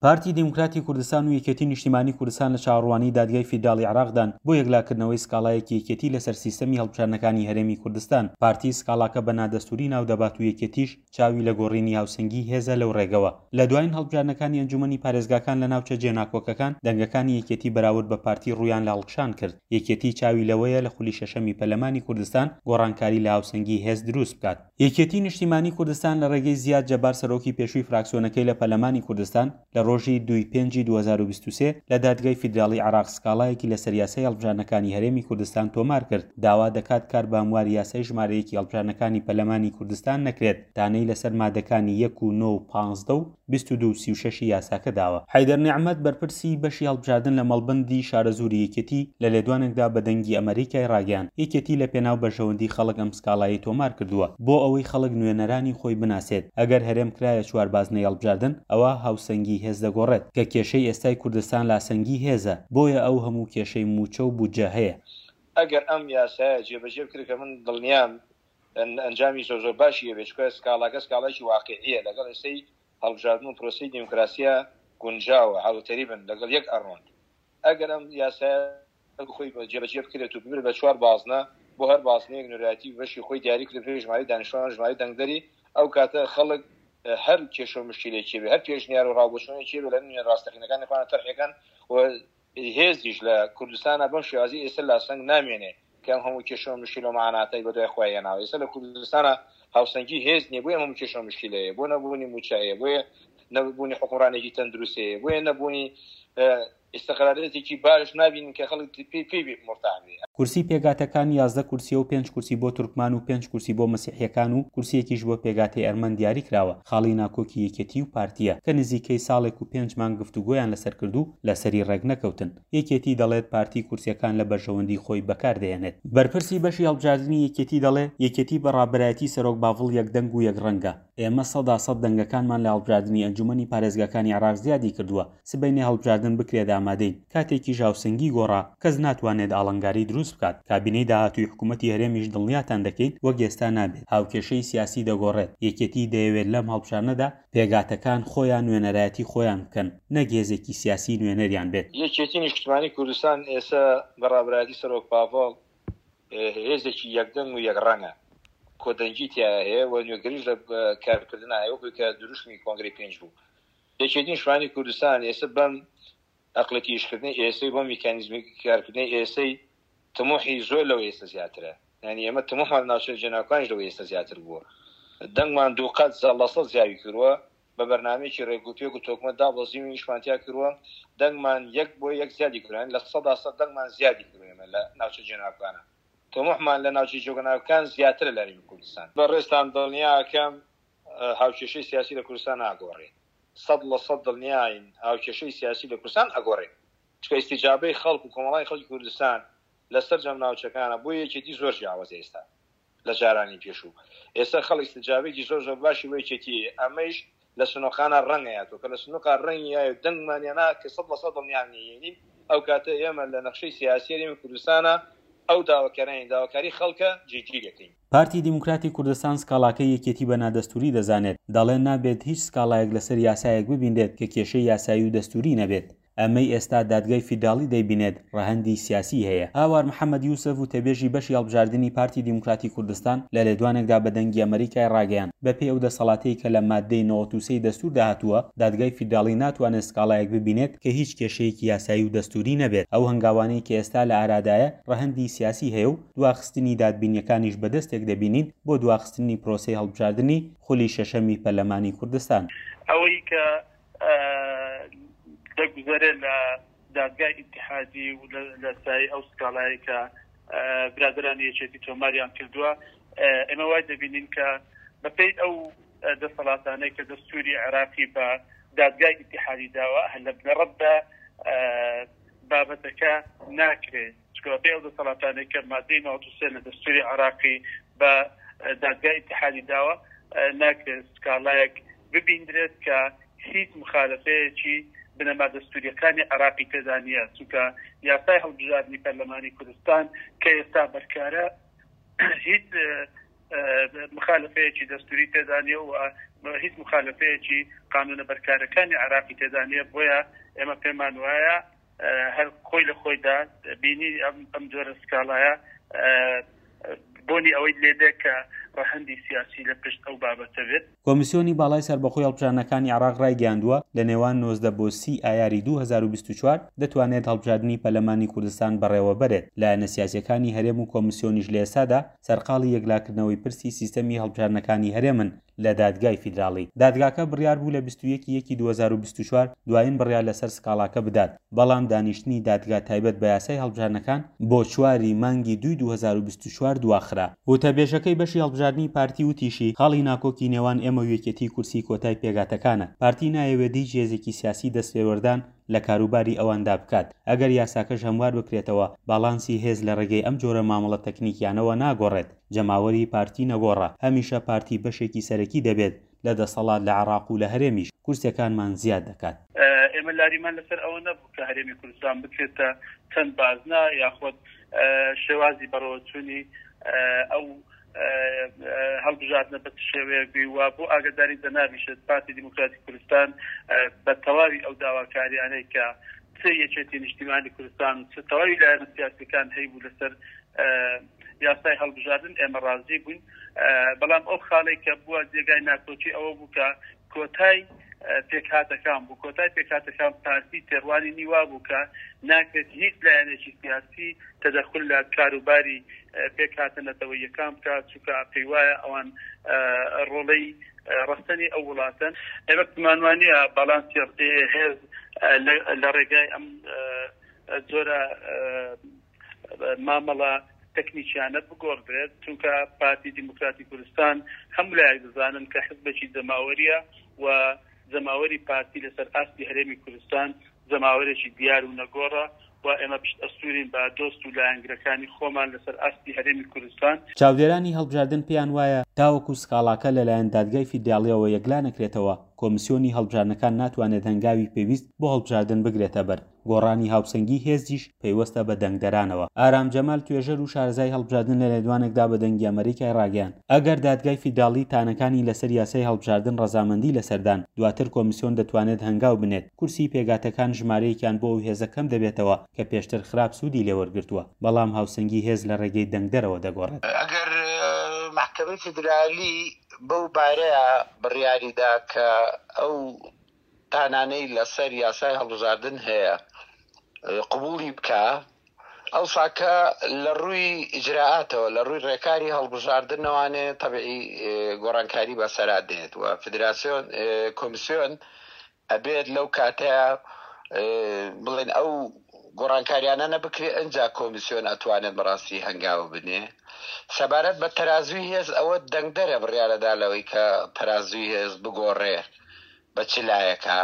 پارتی دیموکراتی کوردستان و یەکێتی نیشتیمانی کوردستان لە چاوەڕوانی دادگای فیدراڵی عێراقدان بۆ یەکلاکردنەوەی سکاڵایەکی یەکێتی لەسەر سیستەمی هەڵبژاردنەکانی هەرێمی کوردستان. پارتی سکاڵاکە بە نادەستووری ناودەبات و یەکێتیش چاوی لە گۆڕینی هاوسەنگی هێزە لەو ڕێگەوە. لە دوایین هەڵبژاردنەکانی ئەنجومەنی پارێزگاکان لە ناوچە جێناکۆکەکان، دەنگەکانی یەکێتی بەراورد بە پارتی ڕوویان لە هەڵکشان کرد. یەکێتی چاوی لەوەیە لە خولی شەشەمی پەرلەمانی کوردستان گۆڕانکاری لە هاوسەنگی هێز دروست بکات. یەکێتی نیشتیمانی کوردستان لە ڕێگەی زیاد جەبار سەرۆکی پێشووی فراکسیۆنەکەی لە پەرلەمانی کوردستان لە ڕۆژی دووی پێنجی 2023 لە دادگای فیدراڵی عێراق سکاڵایەکی لەسەر یاسای هەڵبژاردنەکانی هەرێمی کوردستان تۆمار کرد داوا دەکات کار بە هەمواری یاسای ژمارە یەکی هەڵبژاردنەکانی پەرلەمانی کوردستان نەکرێت تانەی لەسەر مادەکانی یەک و نۆ و 15 و 22 و 36 ی یاساکە داوە. حەیدەر نیعمەت بەرپرسی بەشی هەڵبژاردن لە مەڵبەندی شارەزووری یەکێتی لە لێدوانێکدا بە دەنگی ئەمەریکای ڕاگەیاند، یەکێتی لە پێناو بەرژەوەندی خەڵک ئەم سکاڵایەی تۆمار کردووە بۆ ئەوەی خەڵک نوێنەرانی خۆی بناسێت، ئەگەر هەرێم کرایە چوار بازنەی هەڵبژاردن ئەوا هاوسەنگی هێز دەگۆڕێت، کە کێشەی ئێستای کوردستان لاسەنگی هێزە، بۆیە ئەو هەموو کێشەی مووچە و بودجە هەیە. ئەگەر ئەم یاسایە جێبەجێ بکرێت کە من دڵنیام ئەنجامی زۆر زۆر باشی هەبێت، چونکە سکاڵاکە سکاڵایەکی واقیعیە لەگەڵ ئێستەی هەڵبژاردن و پرۆسەی دیموکراسیە گونجاوە، هاوتەریبن، لەگەڵ یەک ئەڕۆن. ئەگەر ئەم یاسایە خۆی جێبەجێ بکرێت و ببرێت بە چوار بازنە، بۆ هەر بازنەیەک نوێنەرایەتی بەشی خۆی دیاری کرێت بەپێی ژمارەی دانیشتوان و ژمارەی دەنگدەری، ئەو کاتە خەڵک هەر کێشە و مشکیلەیەکی هەبێت، هەر پێشنیار و ڕاوبۆچوونێکی هەبێت لە نوێنەرە ڕاستەقینەکانی خۆیان تەرحی ئەکەن و هێزیش لە کوردستانا بەم شێوازەی ئێستا لاسەنگ نامێنێ کە ئەم هەموو کێشە و مشکیلە و مەعاناتەی بەدوای خۆی هێناوە. ئێستا لە کوردستانا هاوسەنگی هێز نییە، بۆیە ئەم هەموو کێشە و مشکیلە هەیە، بۆ نەبوونی مووچە هەیە، بۆیە نەبوونی حوکمڕانێکی تەندروست هەیە، بۆیە نەبوونی ئیستقرارێتێکی باش نابینین کە خەڵک پێی پێی مورتاح بێ. کورسی پێکهاتەکان 11 کورسیە و پێنج کورسی بۆ تورکمان و پێنج کورسی بۆ مەسیحیەکان و کورسیەکیش بۆ پێکهاتەی ئەرمەن دیاری کراوە، خاڵی ناکۆکی یەکێتی و پارتیە کە نزیکەی ساڵێک و پێنج مانگ گفتوگۆیان لەسەر کرد و لەسەری ڕێکنەکەوتن. یەکێتی دەڵێت پارتی کورسیەکان لە بەرژەوەندی خۆی بەکار دەهێنێت. بەرپرسی بەشی هەڵبژاردنی یەکێتی دەڵێ یەکێتی بە ڕابەرایەتی سەرۆک باڤڵ یەکدەنگ و یەکڕەنگە. ئێمە 100% دەنگەکانمان لە هەڵبژاردنی ئەنجومەنی پارێزگاکانی عێراق زیادی کردووە، سبەینێ هەڵبژاردن بکرێت ئامادەین، کاتێکیش هاوسەنگی گۆڕا، کەس ناتوانێت ئاڵنگاری دروست بکات، کابینەی داهاتووی حکومەتی هەرێمیش دڵنیاتان دەکەین وەک ئێستا نابێت، هاوکێشەی سیاسی دەگۆڕێت، یەکێتی دەیەوێت لەم هەڵبژاردنەدا پێکهاتەکان خۆیان نوێنەرایەتی خۆیان بکەن نەک هێزێکی سیاسی نوێنەریان بێت. یەکێتی نیشتمانی کوردستان ئێستا بە ڕابەرایەتی سەرۆک پاڤڵ هێزێکی یەکدەنگ و یەکڕەنگە، کۆدەنگی تیایا هەیە و نوێگەریش لە کارکردنا هەیە وەکو کە دروشمی کۆنگرەی پێنج بوو. یەکێتی نیشتمانی کوردستان ئێستا بەم ئەقڵێتی ئیشکردنەی ئێستەی بۆ میکانیزمی کارکردنەی ئێستەی تموحی زۆر لەوەی ئێستا زیاترە. یانی ئێمە تموحمان لە ناوچە جێناوکانیش لەوەی ئێستا زیاتر بووە. دەنگمان دووقات 100% زیاوی کردووە، بە بەرنامەیەکی رێکوپێک و تۆکمە دابەزیوین ئیشمان تیا کردووە، دەنگمان یەک بۆ یەک زیادی کردووە، یانی 100% دەنگمان زیادی کردووە ئێمە لە ناوچە جێناوکانە. تموحمان لە ناوچە جێناوکان زیاترە لە هەرێمی کوردستان. بەڕێزتان دڵنیا ئەکەم هاوکێشەی سیاسی لە کوردستان ناگۆڕێ. 100% دڵنیاین هاوکێشەی سیاسی لە کوردستان ئەگۆڕێ. چونکە ئیستیجابەی خەڵک و کۆمەڵانی خەڵکی کوردستان لە سەرجەم ناوچەکانە بۆ یەکێتی زۆر جیاوازە ئێستا لە جارانی پێشوو. ئێستا خەڵک ئیستیجابەیەکی زۆر زۆر باشی بۆ یەکێتی هەیە. ئەمەیش لە سنوقانا ڕەنگ ئەیاتەوە کە لە سنوقا ڕەنگی یایە و دەنگمان یانا کە 100% دڵنیام نییە ئەو کاتە ئێمە لە نەخشەی سیاسی هەرێمی کوردستانا ئەو داواکارانەی داواکاری خەڵکە جێگیر ئەکەین. پارتی دیموکراتی کوردستان سکاڵاکەی یەکێتی بە نادەستووری دەزانێت، دەڵێ نابێت هیچ سکاڵایەک لەسەر یاسایەک ببینرێت کە کێشەی یاسایی و دەستووری نەبێت. ئەمەی ئێستا دادگای فیدراڵی دەیبینێت ڕەهەندی سیاسیی هەیە. هاوار محەمەد یوسف وتەبێژی بەشی هەڵبژاردنی پارتی دیموکراتی کوردستان لە لێدوانێکدا بە دەنگی ئەمەریکای ڕاگەیاند، بەپێی ئەو دەسەڵاتەی کە لە ماددەی 93 ی دەستووردا هاتووە، دادگای فیدراڵی ناتوانێت سکاڵایەک ببینێت کە هیچ کێشەیەکی یاسایی و دەستووری نەبێت. ئەو هەنگاوانەی کە ئێستا لە ئارادایە ڕەهەندی سیاسی هەیە و دواخستنی دادبینییەکانیش بە دەستێک دەبینین بۆ دواخستنی پرۆسەی هەڵبژاردنی خولی شەشەمی پەرلەمانی کوردستان. ئەوەی کە دەگوزەرێت لە دادگای ئیتیحادی و لە سایەی ئەو سکاڵایەی کە برادەرانی یەکێتی تۆماریان کردووە، ئێمە وای دەبینین کە بەپێی ئەو دەسەڵاتانەی کە دەستووری عێراقی بە دادگای ئیتیحادی داوە، هەر لە بنەڕەتدا بابەتەکە ناکرێت. چونکە بەپێی ئەو دەسەڵاتانەی کە مادەی 93 لە دەستووری عێراقی بە دادگای ئیتیحادی داوە، ناکرێت سکاڵایەک ببیندرێت کە هیچ مخالەفەیەکی بنەما دەستوورییەکانی عێراقی تێدا نییە، چونکە یاسای هەڵبژاردنی پەرلەمانی کوردستان کە ئێستا بەرکارە هیچ مخالەفەیەکی دەستووری تێدا نییە و. هیچ مخالەفەیەکی قانونە بەرکارەکانی عێراقی تێدا نییە، بۆیە ئێمە پێمان وایە هەر خۆی لە خۆیدا بینی ئەم جۆرە سکاڵایە بۆنی ئەوەی لێدێ کە ڕەهەندی سیاسی لە پشت ئەو بابەتە بێت. کۆمیسیۆنی باڵای سەربەخۆی هەڵبژاردنەکانی عێراق ڕایگەیاندووە، لە نێوان 19 بۆ 30 ئایاری 2024 دەتوانێت هەڵبژاردنی پەرلەمانی کوردستان بەڕێوەبەرێت، لایەنە سیاسییەکانی هەرێم و کۆمیسیۆنیش لە ئێستادا سەرقاڵی یەکلاکردنەوەی پرسی سیستەمی هەڵبژاردنەکانی هەرێمن لە دادگای فیدراڵی. دادگاکە بڕیار بوو لە 21 ی یەکی 2024 دوایین بڕیار لەسەر سکاڵاکە بدات، بەڵام دانیشتنی دادگا تایبەت بە یاسای هەڵبژاردنەکان بۆ چوار ی مانگی دووی 2024 دواخرا. وتەبێژەکەی بەشی هەڵبژاردنی پارتی وتیشی، خاڵی ناکۆکی نێوان ئێمە و یەکێتی کورسی کۆتای پێکهاتەکانە، پارتی نایەوێت هیچ هێزێکی سیاسی دەستێوەردان لە کاروباری ئەواندا بکات، ئەگەر یاساکەش هەموار بکرێتەوە، باڵانسی هێز لە ڕێگەی ئەم جۆرە مامەڵە تەکنیکیانەوە ناگۆڕێت، جەماوەری پارتی نەگۆڕە، هەمیشە پارتی بەشێکی سەرەکی دەبێت لە دەسەڵات لە عێراق و لە هەرێمیش کورسیەکانمان زیاد دەکات. ئێمە لاریمان لەسەر ئەوە نەبوو کە هەرێمی کوردستان بکرێتە چەند بازنە یاخود شێوازی بەڕێوەچوونی ئەو هەڵبژاردنە بە چ شێوەیەک بی و بۆ ئاگاداری جەنابیشت پارتی دیموکراتی کوردستان بە تەواوی ئەو داواکاریانەی کە چ یەکێتی نیشتیمانی کوردستان و چ تەواوی لایەنە سیاسیەکان هەیبوو لەسەر یاسای هەڵبژاردن ئێمە ڕازی بووین بەڵام ئەو خاڵێک کە بووە جێگای ناکۆکی ئەوە بوو کە کۆتای پێکهاتەکان بوو، کۆتای پێکهاتەکان پارتی تێڕوانینی وابوو کە ناکرێت هیچ لایەنێکی سیاسی تەدەخول لە کاروباری پێکهاتە نەتەوەییەکان بکات، چونکە پێیوایە ئەوان ڕۆڵەی ڕەسەنی ئەو وڵاتەن. ئێمە پێمان وانییە باڵانسی هێز لە ڕێگای ئەم جۆرە مامەڵە تەکنیکیانە بگۆڕدرێت، چونکە پارتی دیموکراتی کوردستان هەموو لایەک دەزانن کە حزبێکی جەماوەریە و جەماوەری پارتی لەسەر ئاستی هەرێمی کوردستان جەماوەرێکی دیار و نەگۆڕە و ئێمە پشت ئەستورین بە دۆست و لایەنگرەکانی خۆمان لەسەر ئاستی هەرێمی کوردستان. چاودێرانی هەڵبژاردن پێیان وایە تاوەکو سکاڵاکە لەلایەن دادگای فیدراڵیەوە یەکلا نەکرێتەوە، کۆمسیۆنی هەڵبژاردنەکان ناتوانێت هەنگاوی پێویست بۆ هەڵبژاردن بگرێتە بەر. گۆڕانی هاوسەنگی هێزیش پەیوەستە بە دەنگدەرانەوە. ئارام جەمال توێژەر و شارەزای هەڵبژاردن لە لێدوانێکدا بە دەنگی ئەمەریکای ڕاگەیاند، ئەگەر دادگای فیدراڵی تانەکانی لەسەر یاسای هەڵبژاردن ڕەزامەندی لەسەردان، دواتر کۆمیسیۆن دەتوانێت هەنگاو بنێت، کورسی پێکهاتەکان ژمارەیەکیان بۆ ئەو هێزە کەم دەبێتەوە کە پێشتر خراپ سوودی لێوەرگرتووە، بەڵام هاوسەنگی هێز لە ڕێگەی دەنگدەرەوە دەگۆڕێت. ئەگەر مەحکەمەی فیدرالی بەو بارەیە بڕیاریدا کە ئەو تانانەی لەسەر یاسای هەڵبژاردن هەیە قبوڵی بکا، ئەوساکە لە ڕووی ئیجرائاتەوە لە ڕووی ڕێکاری هەڵبژاردنەوانێ تەبعی گۆڕانکاری بەسەرا دێت و فدراسیۆن کۆمیسیۆن ئەبێت لەو کاتەیە بڵێن ئەو گۆڕانکاریانە نەبکرێ ئەجا کۆمیسیۆن ئەتوانێت بەڕاستی هەنگاو بنێ سەبارەت بە تەرازوی هێز ئەوە دەنگدەرە بڕیارەدا لەوەی کە تەرازوی هێز بگۆڕێ بە چ لایەکە؟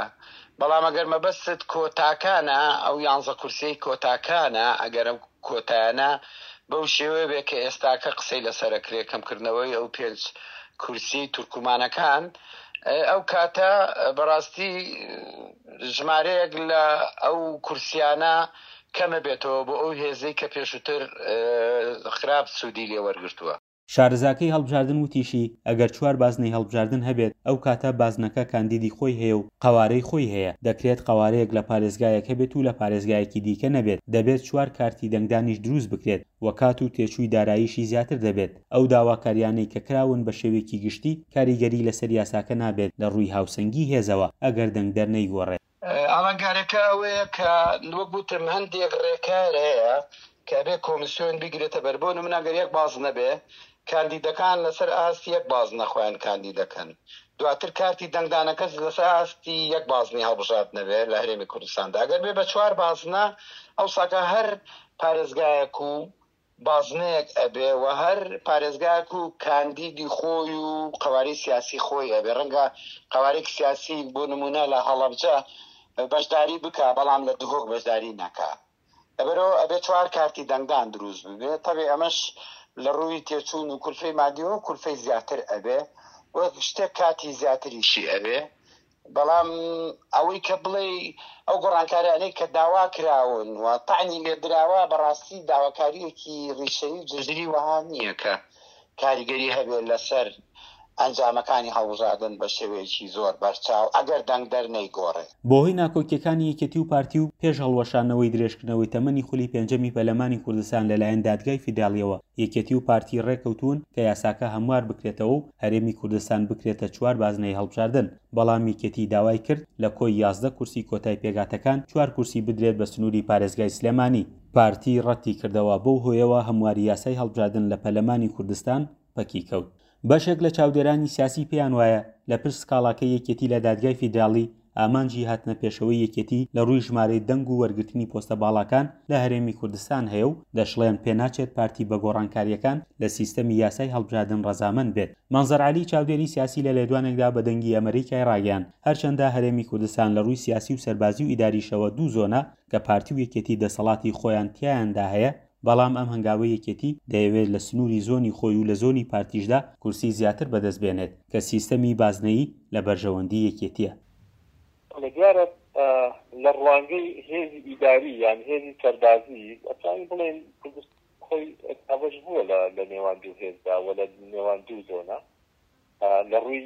بەڵام ئەگەر مەبەستت کۆتاکانە، ئەو یانزە کورسیەی کۆتاکانە، ئەگەر ئەو کۆتایانە بەو شێوەیە بێ کە ئێستاکە قسەی لەسەر ئەکرێ، کەمکردنەوەی ئەو پێنج کورسیەی تورکمانەکان، ئەو کاتە بەڕاستی ژمارەیەک لە ئەو کورسیانە کەمەبێتەوە بۆ ئەو هێزەی کە پێشووتر خراپ سوودی لێ وەرگرتووە. شارەزاکەی هەڵبژاردن وتیشی، ئەگەر چوار بازنەی هەڵبژاردن هەبێت، ئەو کاتە بازنەکە کاندیدی خۆی هەیە و قەوارەی خۆی هەیە، دەکرێت قەوارەیەک لە پارێزگایەک هەبێت و لە پارێزگایەکی دیکە نەبێت، دەبێت چوار کارتی دەنگدانیش دروست بکرێت و کات و تێچووی داراییشی زیاتر دەبێت، ئەو داواکاریانەی کە کراون بە شێوەیەکی گشتی کاریگەری لەسەر یاساکە نابێت لە ڕووی هاوسەنگی هێزەوە ئەگەر دەنگدەر نەیگۆڕێت. ئاڵنگاریەکە ئەوەیە کە وەک وتم هەندێک ڕێکار هەیە کە ئەبێ کۆمیسیۆن بیگرێتە بەر، بۆ نمونە گەر یەک بازنە بێ کاندیدەکان لەسەر ئاستی یەک بازنە خۆیان کاندید دەکەن، دواتر کارتی دەنگدانەکەش لەسەر ئاستی یەک بازنەی هەڵبژاردنە بێ لە هەرێمی کوردستاندا، ئەگەر بێ بە چوار بازنە ئەوساکە هەر پارێزگایەک و بازنەیەک ئەبێ و هەر پارێزگایەک و کاندیدی خۆی و قەوارەی سیاسی خۆی ئەبێ، ڕەنگە قەوارەیەکی سیاسی بۆ نموونە لە هەڵەبجە بەشداری بکا بەڵام لە دهۆک بەشداری نەکا، لەبەرئەوە ئەبێ چوار کارتی دەنگدان دروست ببێ، تەبعی ئەمەش لە ڕووی تێچوون و کولفەی مادیەوە کولفەی زیاتر ئەبێ و شتێک کاتی زیاتریشی ئەوێ. بەڵام ئەوەی کە بڵێی ئەو گۆڕانکاریانەی کە داوا کراون و تەعنی لێ دراوە بەڕاستی داواکارییەکی ڕیشەیی و جەزری وەها نییە کە کاریگەری هەبێت لەسەر. ئەنجامەکانی هەڵبژاردن بە شێوەیەکی زۆر بەرچاو ئەگەر دەنگدەر نەیگۆڕێ. بەهۆی ناکۆکییەکانی یەکێتی و پارتی و پێش هەڵوەشاندنەوەی درێژکردنەوەی تەمەنی خولی پێنجەمی پەرلەمانی کوردستان لەلایەن دادگای فیدراڵییەوە، یەکێتی و پارتی ڕێککەوتوون کە یاساکە هەموار بکرێتەوە و هەرێمی کوردستان بکرێتە چوار بازنەی هەڵبژاردن، بەڵام یەکێتی داوای کرد لە کۆی 11 کورسی کۆتای پێکهاتەکان چوار کورسی بدرێت بە سنووری پارێزگای سلێمانی. پارتی ڕەتی کردەوە، بەو هۆیەوە هەمواری یاسای هەڵبژاردن لە پەرلەمانی کوردستان پەکی کەوت. بەشێک لە چاودێرانی سیاسی پێیان وایە لە پشت سکاڵاکەی یەکێتی لە دادگای فیدراڵی ئامانجی هاتنە پێشەوەی یەکێتی لە ڕووی ژمارەی دەنگ و وەرگرتنی پۆستە باڵاکان لە هەرێمی کوردستان هەیە و دەشڵێن پێناچێت پارتی بە گۆڕانکارییەکان لە سیستەمی یاسای هەڵبژاردن ڕەزامەند بێت. مەنزەر عەلی چاودێری سیاسی لە لێدوانێکدا بە دەنگی ئەمەریکای ڕاگەیاند هەرچەندە هەرێمی کوردستان لە ڕووی سیاسی و سەربازی و ئیداریشەوە دوو زۆنە کە پارتی و یەکێتی دەسەڵاتی خۆیان تیایاندا هەیە بەڵام ئەم هەنگاوەی یەکێتی دەیەوێت لە سنووری زۆنی خۆی و لە زۆنی پارتیشدا کورسی زیاتر بەدەست بێنێت کە سیستەمی بازنەیی لە بەرژەوەندی یەکێتیە. بەڵێ دیارە لە ڕوانگەی هێزی ئیداری یان هێزی سەربازی ئەتوانین بڵێین کوردستان خۆی دابەش بووە لە نێوان دوو هێزدا و لە نێوان دوو زۆنە. لە ڕووی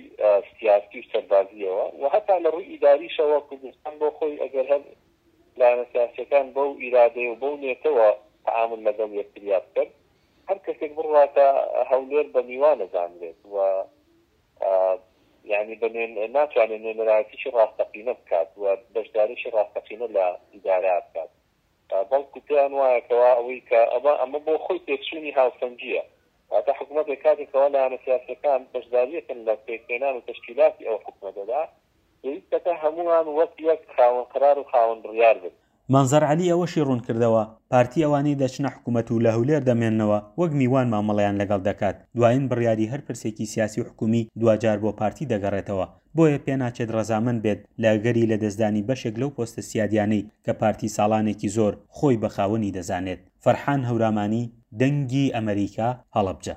سیاسی و سەربازییەوە و هەتا لە ڕووی ئیداریشەوە کوردستان بۆ خۆی ئەگەر هەر لایەنە سیاسییەکان بەو ئیرادەیە و بەو نێتەوە تەعامول لەگەڵ یەکتریا بکەن هەر کەسێک بڕواتە هەولێر بە میوان ئەزانرێت و یانی بە ناتوانێت نوێنەرایەتیی ڕاستەقینە بکات و بەشداریی ڕاستەقینە لە ئیدارە بکات. بەڵکو پێیان وایە کەوا ئەوەی کە ئەمە ئەمە بۆ خۆی تێکچوونی هاوسەنگییە. واتە حکومەتێک کاتێک کەوا لایەنە سیاسییەکان بەشدارییەکەن لە پێکهێنان و تەشکیلاتی ئەو حکومەتەدا، پێویستەکە هەمووان وەک یەک خاوەن قەرار و خاوەن بڕیار بن. مەنزەر عەلی ئەوەشی ڕوونکردەوە، پارتی ئەوانەی دەچنە حکومەت و لە هەولێر دەمێننەوە وەک میوان مامەڵەیان لەگەڵ دەکات، دوایین بڕیاری هەر پرسێکی سیاسی و حکومی دواجار بۆ پارتی دەگەڕێتەوە، بۆیە پێناچێت ڕەزامەند بێت لە ئەگەری لەدەستدانی بەشێک لەو پۆستە سیادیانەی کە پارتی ساڵانێکی زۆر خۆی بە خاوەنی دەزانێت. فەرحان هەورامانی، دەنگی ئەمەریکا، هەڵەبجە.